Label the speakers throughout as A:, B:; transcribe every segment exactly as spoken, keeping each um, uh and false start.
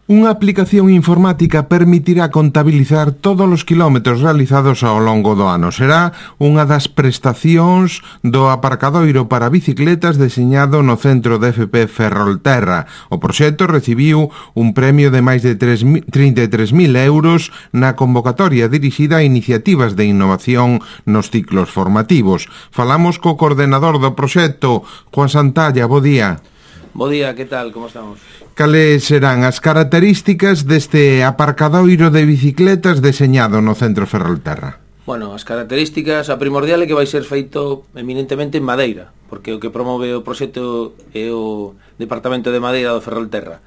A: Unha aplicación informática permitirá contabilizar todos os quilómetros realizados ao longo do ano. Será unha das prestacións do aparcadoiro para bicicletas deseñado no centro de F P Ferrolterra. O proxecto recibiu un premio de máis de trinta e tres mil euros na convocatoria dirixida a iniciativas de innovación nos ciclos formativos. Falamos co coordenador do proxecto, Juan Santalla. Bo día.
B: Bo día, que tal? Como estamos?
A: Cales serán as características deste aparcadoiro de bicicletas deseñado no centro Ferrolterra?
B: Bueno, as características, a primordial é que vai ser feito eminentemente en madeira, porque o que promove o proxecto é o Departamento de Madeira do Ferrolterra.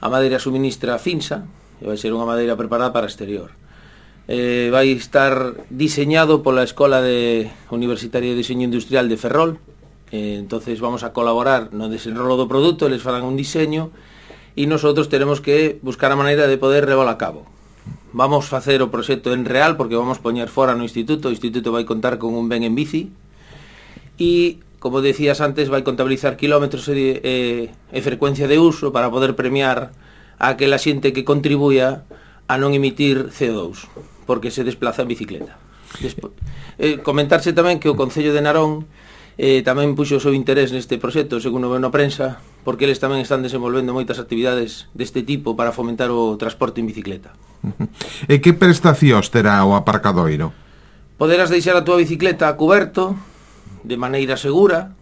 B: A madeira suministra Finsa, e vai ser unha madeira preparada para exterior. Eh, vai estar diseñado pola Escola de Universitaria de Diseño Industrial de Ferrol. Eh, entonces vamos a colaborar no desenrolo do produto, eles farán un diseño e nosotros teremos que buscar a maneira de poder levar a cabo. Vamos facer o proxecto en real porque vamos poñer fora no instituto. O instituto vai contar con un ben en bici e, como decías antes, vai contabilizar kilómetros e, e, e frecuencia de uso para poder premiar a aquela xente que contribuya a non emitir C O dos porque se desplaza en bicicleta. Despo... Eh, comentarse tamén que o Concello de Narón Eh, tamén puxo o seu interés neste proxecto, segundo veo na prensa, porque eles tamén están desenvolvendo moitas actividades deste tipo para fomentar o transporte en bicicleta.
A: E que prestacións terá o aparcadoiro?
B: Poderás deixar a túa bicicleta a cuberto, de maneira segura,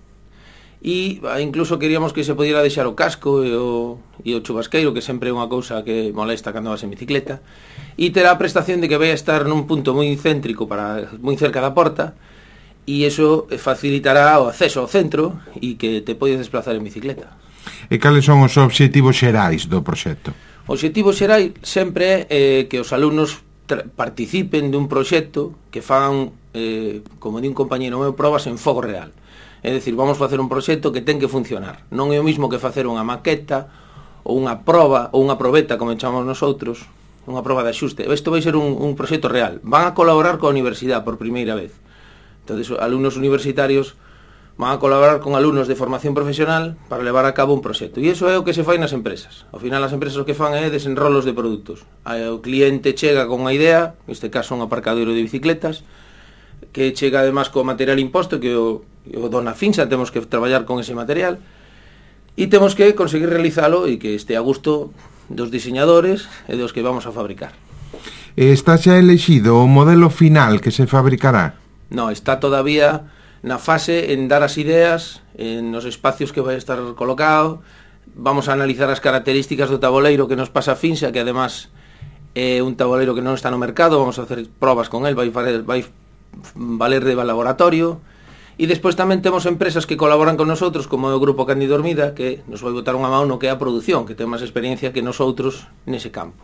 B: e incluso queríamos que se pudiera deixar o casco e o, e o chubasqueiro, que sempre é unha cousa que molesta cando vas en bicicleta, e terá a prestación de que vai a estar nun punto moi céntrico, para moi cerca da porta, e iso facilitará o acceso ao centro e que te podes desplazar en bicicleta.
A: E cales son os obxectivos xerais do proxecto?
B: O obxectivo xerai sempre é eh, que os alumnos participen dun proxecto que fan, eh, como di un compañeiro meu, probas en fogo real. É dicir, vamos facer un proxecto que ten que funcionar. Non é o mismo que facer unha maqueta ou unha proba ou unha probeta, como chamamos nosotros, unha proba de axuste. Isto vai ser un, un proxecto real. Van a colaborar coa universidade por primeira vez. Entonces, alumnos universitarios van a colaborar con alumnos de formación profesional para levar a cabo un proxecto. E iso é o que se fai nas empresas. Ao final, as empresas o que fan é desenrolos de produtos. O cliente chega con unha idea, neste caso un aparcadoiro de bicicletas, que chega además co material imposto, que o, o dona Finsa, temos que traballar con ese material, e temos que conseguir realizalo e que este a gusto dos diseñadores e dos que vamos a fabricar.
A: Está xa elexido o modelo final que se fabricará?
B: No, está todavía na fase en dar as ideas en os espacios que vai estar colocado. Vamos a analizar as características do taboleiro que nos pasa a Finsa, que además é un taboleiro que non está no mercado. Vamos a hacer probas con el, vai, vai valer de laboratorio. E despois tamén temos empresas que colaboran con nosotros, como o Grupo Cándido Ormida, que nos vai botar unha mão no que é a produción, que ten máis experiencia que nosotros nese campo.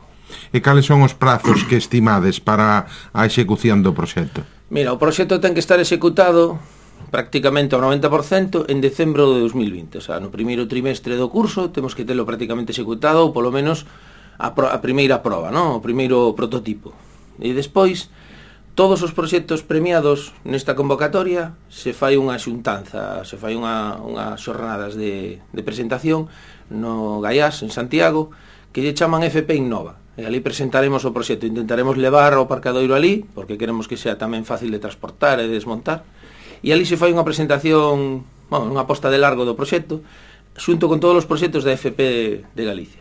A: E cales son os prazos que estimades para a execución do proxecto?
B: Mira, o proxecto ten que estar executado prácticamente ao noventa por cento en decembro de dos mil vinte. O sea, no primeiro trimestre do curso temos que telo prácticamente executado, ou polo menos a, pro, a primeira proba, ¿no? O primeiro prototipo. E despois, todos os proxectos premiados nesta convocatoria se fai unha xuntanza, se fai unha, unhas xornadas de, de presentación no Gaiás, en Santiago, que lle chaman F P Innova. E ali presentaremos o proxecto, intentaremos levar o aparcadoiro ali, porque queremos que sea tamén fácil de transportar e de desmontar, e ali se fai unha presentación, bueno, unha posta de largo do proxecto, xunto con todos os proxectos da F P de Galicia.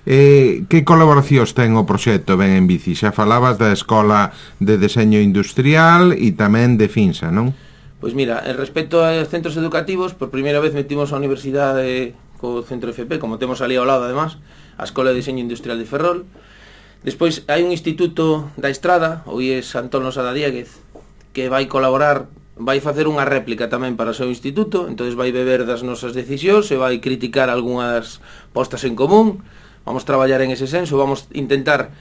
A: Eh, que colaboracións ten o proxecto Ben en Bici? Xa falabas da Escola de Deseño Industrial e tamén de Finsa, non?
B: Pois mira, en respecto aos centros educativos, por primeira vez metimos a universidade co centro F P, como temos ali ao lado además, a Escola de Deseño Industrial de Ferrol. Despois hai un instituto da Estrada, o I E S Antón Losada Dieguez, que vai colaborar, vai facer unha réplica tamén para o seu instituto, entonces vai beber das nosas decisións e vai criticar algunhas postas en común. Vamos traballar en ese senso, vamos intentar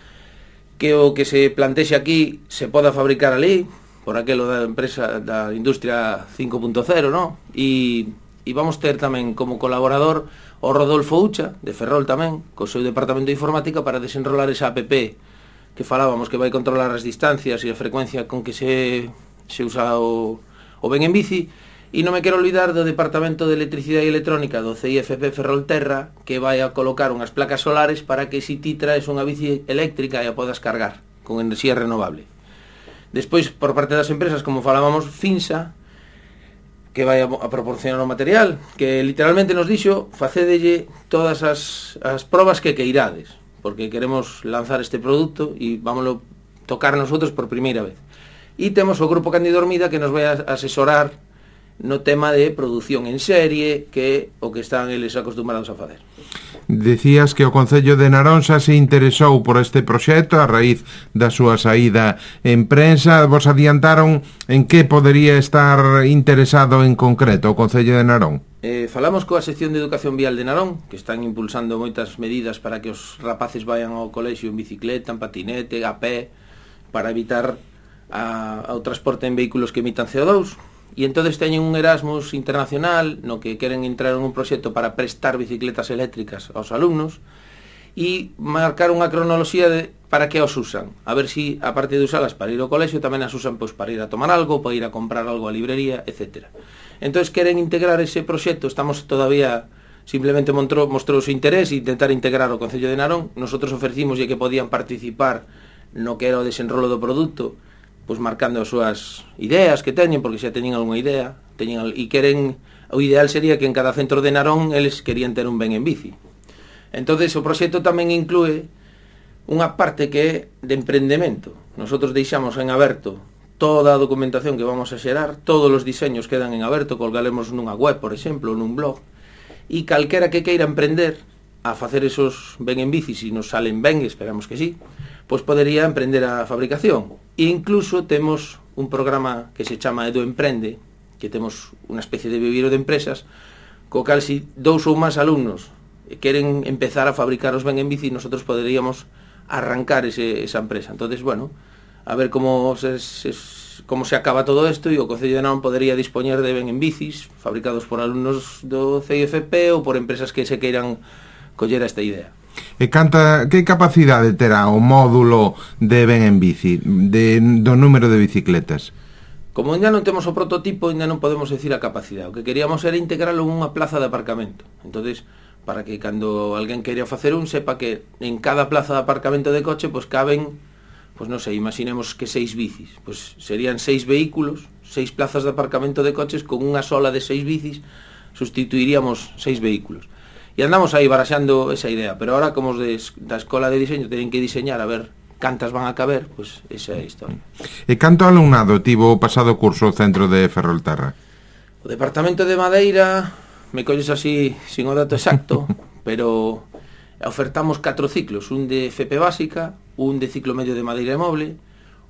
B: que o que se plantexe aquí se poda fabricar ali, por aquelo da empresa da industria cinco punto cero, ¿no? E, e vamos ter tamén como colaborador o Rodolfo Ucha, de Ferrol tamén, co seu departamento de informática para desenrolar esa app que falábamos, que vai controlar as distancias e a frecuencia con que se, se usa o, o Ben en Bici, E non me quero olvidar do Departamento de Electricidade e Electrónica do C I F P Ferrolterra, que vai a colocar unhas placas solares para que si ti traes unha bici eléctrica e a podas cargar con enerxía renovable. Despois, por parte das empresas, como falábamos, Finsa, que vai a, a proporcionar o material, que literalmente nos dixo facedelle todas as, as probas que queirades, porque queremos lanzar este produto e vámoslo tocar nosotros por primeira vez. E temos o Grupo Cándido Ormida que nos vai a asesorar no tema de produción en serie, que o que están eles acostumbrados a fazer.
A: Decías que o Concello de Narón xa se interesou por este proxecto a raíz da súa saída en prensa. Vos adiantaron en que podería estar interesado en concreto o Concello de Narón?
B: Eh, falamos coa sección de Educación Vial de Narón, que están impulsando moitas medidas para que os rapaces vayan ao colexio en bicicleta, en patinete, a pé, para evitar a, ao transporte en vehículos que emitan C O dos. E entonces teñen un Erasmus internacional no que queren entrar en un proxecto para prestar bicicletas eléctricas aos alumnos e marcar unha cronoloxía de para que os usan, a ver si a parte de usalas para ir ao colexio tamén as usan pois, para ir a tomar algo, para ir a comprar algo a librería, etcétera. Entonces queren integrar ese proxecto, estamos todavía simplemente mostrou, mostrou o seu interés e intentar integrar o Concello de Narón. Nosotros ofrecimos que podían participar no que era o desenrolo do produto, pois marcando as súas ideas que teñen, porque xa teñen algunha idea, teñen, e queren, o ideal sería que en cada centro de Narón eles querían ter un ben en bici. Entonces o proxecto tamén inclúe unha parte que é de emprendemento. Nosotros deixamos en aberto toda a documentación que vamos a xerar, todos os diseños quedan en aberto, colgaremos nunha web, por exemplo, nun blog, e calquera que queira emprender a facer esos ben en bici, se nos salen ben, esperamos que sí, pois podería emprender a fabricación. E incluso temos un programa que se chama Edu Emprende, que temos unha especie de viviro de empresas, co cal se dous ou máis alumnos queren empezar a fabricar os ben en bici, nosotros poderíamos arrancar ese, esa empresa. Entonces, bueno, a ver como se, se, como se acaba todo isto, e o Concello de Narón podería dispoñer de ben en bicis fabricados por alumnos do C I F P ou por empresas que se queiran coller esta idea.
A: E canta, que capacidade terá o módulo de ben en bici, de, do número de bicicletas?
B: Como ainda non temos o prototipo, ainda non podemos decir a capacidade. O que queríamos era integralo en unha plaza de aparcamento. Entonces, para que cando alguén queira facer un, sepa que en cada plaza de aparcamento de coche, pois caben, pois non sei, imaginemos que seis bicis. Pois serían seis vehículos, seis plazas de aparcamento de coches, con unha sola de seis bicis, sustituiríamos seis vehículos. E andamos aí baraxando esa idea, pero ahora como os de, da escola de diseño teñen que diseñar a ver cantas van a caber, pois pues esa é a historia.
A: E canto alumnado tivo o pasado curso o centro de Ferrolterra?
B: O Departamento de Madeira, me colles así sin o dato exacto, pero ofertamos catro ciclos, un de F P básica, un de ciclo medio de madeira e moble,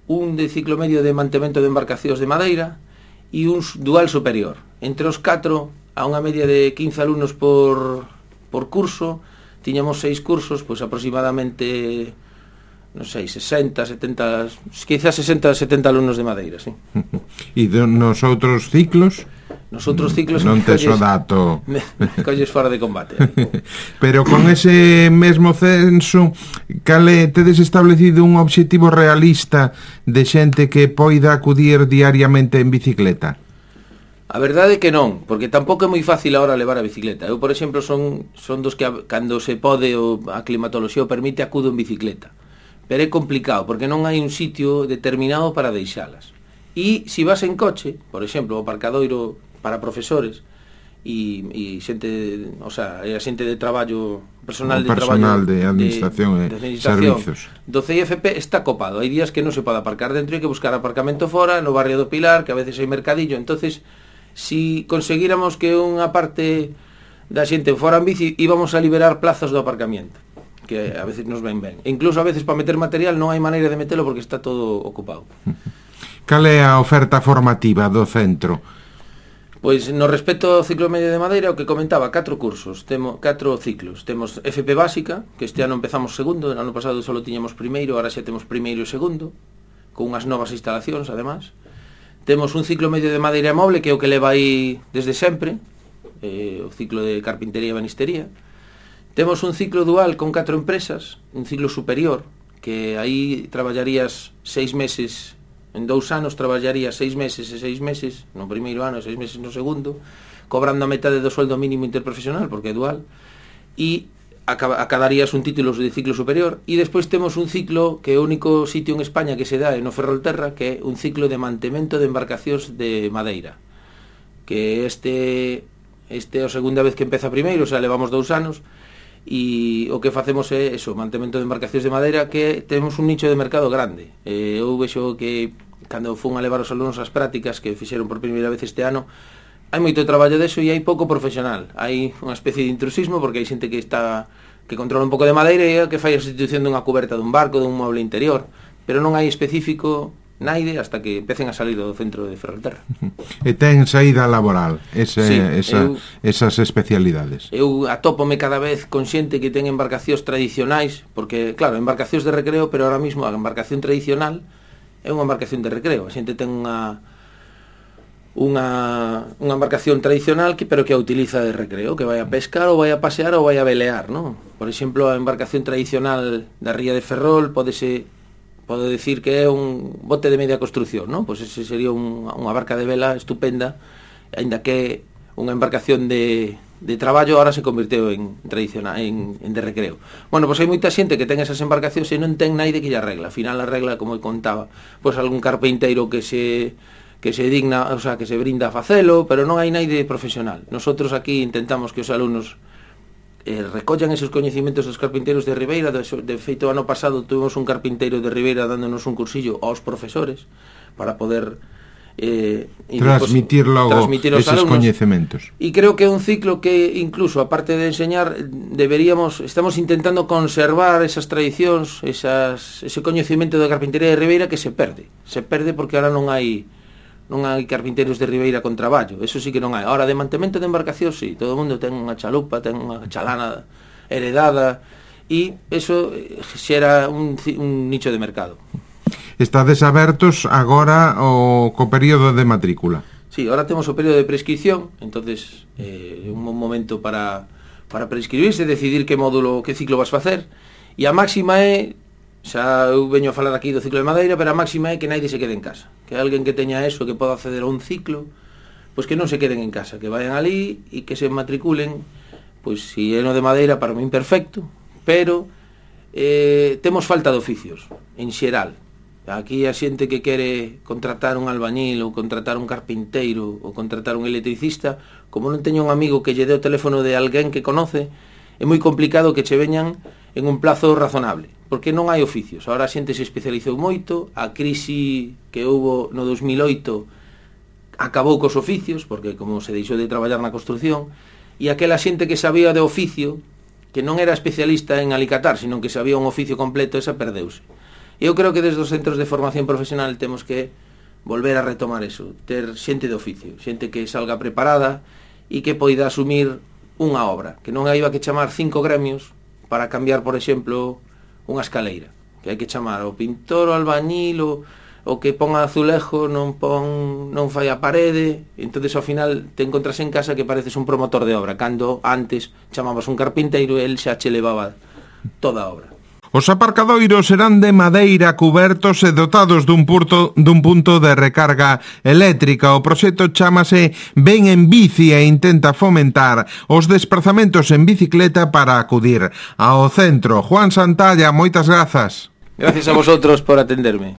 B: un de ciclo medio de mantemento de embarcacións de madeira e un dual superior. Entre os catro, a unha media de quince alumnos por por curso, tiñamos seis cursos, pois aproximadamente, non sei, sesenta, setenta, quizás sesenta, setenta alumnos de madeira, sí.
A: E nos outros ciclos?
B: Nos outros ciclos
A: non tes o dato.
B: Me, me colles fora de combate.
A: Pero con ese mesmo censo, cale tedes establecido un obxectivo realista de xente que poida acudir diariamente en bicicleta?
B: A verdade é que non, porque tampouco é moi fácil agora levar a bicicleta. Eu, por exemplo, son, son dos que a, cando se pode o, a climatoloxía o permite, acudo en bicicleta. Pero é complicado, porque non hai un sitio determinado para deixalas. E se vas en coche, por exemplo, o aparcadoiro para profesores e, e xente, o sea, a xente de traballo, personal de
A: personal
B: traballo
A: de administración
B: de,
A: e
B: de administración,
A: servizos
B: do C I F P está copado. Hai días que non se pode aparcar dentro, hai que buscar aparcamento fora, no barrio do Pilar, que a veces hai mercadillo. Entonces, si conseguíramos que unha parte da xente fora en bici, íbamos a liberar plazas do aparcamiento, que a veces nos ven ben. E incluso a veces para meter material non hai maneira de metelo porque está todo ocupado.
A: Cal é a oferta formativa do centro?
B: Pois no respecto ao ciclo medio de madeira, o que comentaba, catro cursos, temos catro ciclos. Temos F P básica, que este ano empezamos segundo, no ano pasado só tiñamos primeiro, ahora xa temos primeiro e segundo, con unhas novas instalacións, además. Temos un ciclo medio de madeira e moble, que é o que leva aí desde sempre, eh, o ciclo de carpintería e banistería. Temos un ciclo dual con catro empresas, un ciclo superior, que aí traballarías seis meses En dous anos traballaría seis meses e seis meses no primeiro ano e seis meses no segundo, cobrando a metade do sueldo mínimo interprofesional, porque é dual, e acadarías un título de ciclo superior. E despois temos un ciclo que é o único sitio en España que se dá no Ferrolterra, que é un ciclo de mantemento de embarcacións de madeira, que este este é a segunda vez que empeza primeiro, o sea, levamos dous anos, e o que facemos é eso, mantemento de embarcacións de madeira, que temos un nicho de mercado grande. Eh, eu vexo que cando fun a levar os alumnos ás prácticas que fixeron por primeira vez este ano, hai moito traballo deso e hai pouco profesional. Hai unha especie de intrusismo porque hai xente que está que controla un pouco de madeira e que fai a sustitución dunha cuberta dun barco, dun mueble interior, pero non hai específico naide hasta que empecen a salir do centro de Ferrolterra.
A: E ten saída laboral ese,
B: sí,
A: esa, eu, esas especialidades.
B: Eu atópome cada vez con xente que ten embarcacións tradicionais, porque, claro, embarcacións de recreo, pero ahora mismo a embarcación tradicional é unha embarcación de recreo. A xente ten unha unha, unha embarcación tradicional que pero que a utiliza de recreo, que vai a pescar ou vai a pasear ou vai a velear, non? Por exemplo, a embarcación tradicional da ría de Ferrol pódese pode decir que é un bote de media construcción, non? Pois ese sería un, unha barca de vela estupenda, aínda que unha embarcación de, de traballo ahora se convirteu en tradicional, en, en de recreo. Bueno, pois hai moita xente que ten esas embarcacións e non ten naide que lle arregla. Al final arregla, como contaba, pois algún carpinteiro que se que se digna, o sea, que se brinda a facelo, pero non hai naide profesional. Nosotros aquí intentamos que os alumnos eh, recollan esos coñecimentos dos carpinteiros de Ribeira. De, de feito, ano pasado tuvimos un carpinteiro de Ribeira dándonos un cursillo aos profesores para poder eh,
A: transmitir logo
B: transmitir
A: esos alumnos, coñecementos.
B: E creo que é un ciclo que incluso, aparte de enseñar, deberíamos, estamos intentando conservar esas tradicións, esas, ese coñecemento da carpintería de Ribeira que se perde. Se perde porque ahora non hai non hai carpinteiros de Ribeira con traballo, eso sí que non hai. Ahora, de mantemento de embarcación, sí, todo o mundo ten unha chalupa, ten unha chalana heredada, e eso xera un, un nicho de mercado.
A: Estades abertos agora o co período de matrícula?
B: Sí, ahora temos o período de prescripción, entonces é eh, un bom momento para, para prescribirse, decidir que módulo, que ciclo vas facer, e a máxima é, xa eu veño a falar aquí do ciclo de madeira, pero a máxima é que naide se quede en casa, que alguén que teña eso, que poda acceder a un ciclo, pois que non se queden en casa, que vayan ali e que se matriculen, pois se é no de madeira, para mí perfecto, pero eh, temos falta de oficios en xeral. Aquí a xente que quere contratar un albañil ou contratar un carpinteiro ou contratar un electricista, como non teño un amigo que lle dé o teléfono de alguén que conoce, é moi complicado que che veñan en un plazo razonable, porque non hai oficios. Ahora a xente se especializou moito, a crise que houbo no dos mil oito acabou cos oficios, porque como se deixou de traballar na construción, e aquela xente que sabía de oficio, que non era especialista en alicatar, sino que sabía un oficio completo, esa perdeuse. Eu creo que desde os centros de formación profesional temos que volver a retomar eso, ter xente de oficio, xente que salga preparada e que poida asumir unha obra, que non haiba que chamar cinco gremios para cambiar, por exemplo, unha escaleira, que hai que chamar ao pintor, ao albañil, o, o que pon azulejo, non pon, non fai a parede, entonces ao final te encontras en casa que pareces un promotor de obra, cando antes chamabas un carpinteiro e el xa che levaba toda a obra.
A: Os aparcadoiros serán de madeira, cubertos e dotados dun punto, dun punto de recarga eléctrica. O proxecto chámase Ven en Bici e intenta fomentar os desplazamentos en bicicleta para acudir ao centro. Juan Santalla, moitas grazas.
B: Gracias a vosotros por atenderme.